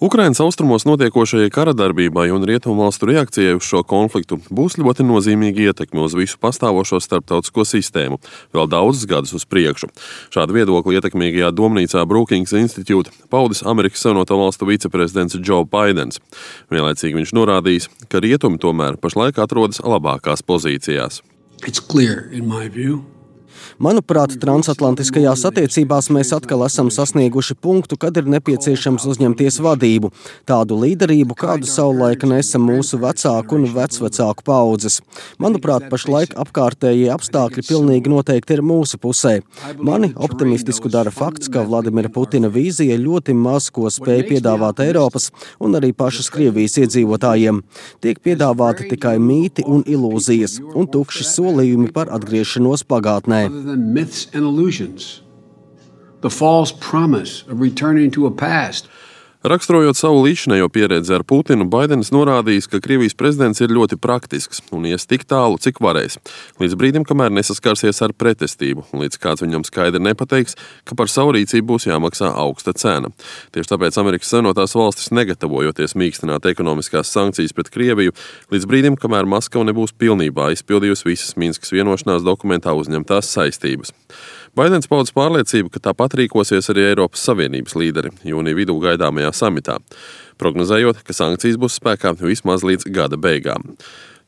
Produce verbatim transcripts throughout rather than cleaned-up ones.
Ukrainas austrumos notiekošajai karadarbībai un rietumvalstu reakcijai uz šo konfliktu būs ļoti nozīmīga ietekme uz visu pastāvošo starptautisko sistēmu, vēl daudzus gadus uz priekšu. Šādu viedokli ietekmīgajā domnīcā Brookings Institute paudis Amerikas Savienoto Valstu viceprezidents Joe Baidens. Vienlaicīgi viņš norādījis, ka rietumi tomēr pašlaik atrodas labākās pozīcijās. It's clear, in my view. Manuprāt, transatlantiskajās attiecībās mēs atkal esam sasnieguši punktu, kad ir nepieciešams uzņemties vadību, tādu līderību, kādu savulaik nesa mūsu vecāku un vecvecāku paudzes. Manuprāt, pašlaik apkārtējie apstākļi pilnīgi noteikti ir mūsu pusē. Mani optimistisku dara fakts, ka Vladimira Putina vīzija ļoti maz ko spēj piedāvāt Eiropas un arī pašas Krievijas iedzīvotājiem. Tiek piedāvāti tikai mīti un ilūzijas un tukši solījumi par atgriešanos pagātnē. Than myths and illusions. The false promise of returning to a past. Raksturojot savu līdzinējo pieredzi ar Putinu, Baidens norādījis, ka Krievijas prezidents ir ļoti praktisks un ies tik tālu, cik varēs, līdz brīdim, kamēr nesaskarsies ar pretestību, un līdz kāds viņam skaidri nepateiks, ka par savu rīcību būs jāmaksā augsta cena. Tieši tāpēc Amerikas Savienotās Valstis, negatavojoties mīkstināt ekonomiskās sankcijas pret Krieviju, līdz brīdim, kamēr Maskava nebūs pilnībā izpildījusi visas Minskas vienošanās dokumentā uzņemtās saistības. Baidens paudis pārliecību, ka tāpat rīkosies arī Eiropas Savienības līderi jūnija vidū gaidāmajā samitā, prognozējot, ka sankcijas būs spēkā vismaz līdz gada beigām.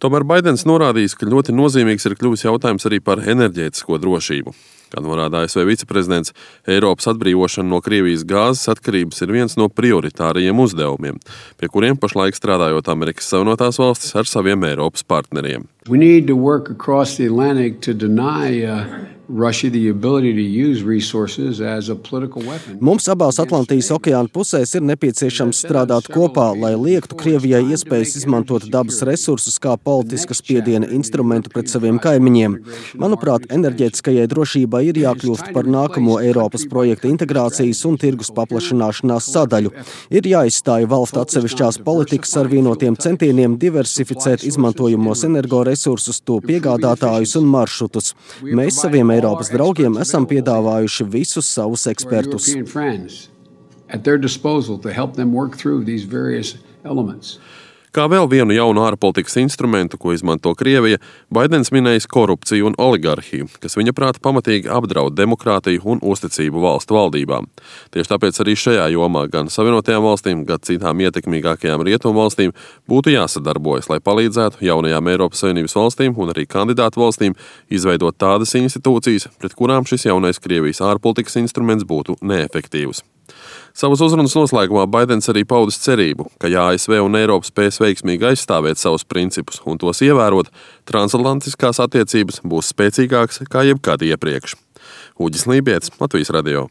Tomēr Baidens norādījis, ka ļoti nozīmīgs ir kļuvis jautājums arī par enerģētisko drošību. Kā norāda A S V viceprezidents, Eiropas atbrīvošana no Krievijas gāzes atkarības ir viens no prioritārajiem uzdevumiem, pie kuriem pašlaik strādājot Amerikas Savienotās Valstis ar saviem Eiropas partneriem. We need to work across the Atlantic to deny uh, Russia the ability to use resources as a political weapon. Mums abās Atlantijas okeāna pusēs ir nepieciešams strādāt kopā, lai liektu Krievijai iespējas izmantot dabas resursus kā politiskas spiediena instrumentu pret saviem kaimiņiem. Manuprāt, enerģētiskajai drošībai ir jākļūst par nākamo Eiropas projekta integrācijas un tirgus paplašanāšanās sadaļu. Ir jāizstāja valstu atsevišķās politikas ar vienotiem centieniem diversificēt izmantojamos energoresursus, to piegādātājus un maršrutus. Mēs saviem Eiropas draugiem esam piedāvājuši visus savus ekspertus. Kā vēl vienu jaunu ārpolitikas instrumentu, ko izmanto Krievija, Baidens minējis korupciju un oligarhiju, kas viņa prāta pamatīgi apdraud demokrātiju un uzticību valstu valdībām. Tieši tāpēc arī šajā jomā gan Savienotajām valstīm, gan citām ietekmīgākajām rietumu valstīm būtu jāsadarbojas, lai palīdzētu jaunajām Eiropas Savienības valstīm un arī kandidātu valstīm izveidot tādas institūcijas, pret kurām šis jaunais Krievijas ārpolitikas instruments būtu neefektīvs. Savas uzrunas noslēgumā Baidens arī paudis cerību, ka ja A S V un Eiropa spēs veiksmīgi aizstāvēt savus principus un tos ievērot, transatlantiskās attiecības būs spēcīgākas kā jebkad iepriekš. Uģis Lībietis, Latvijas radio.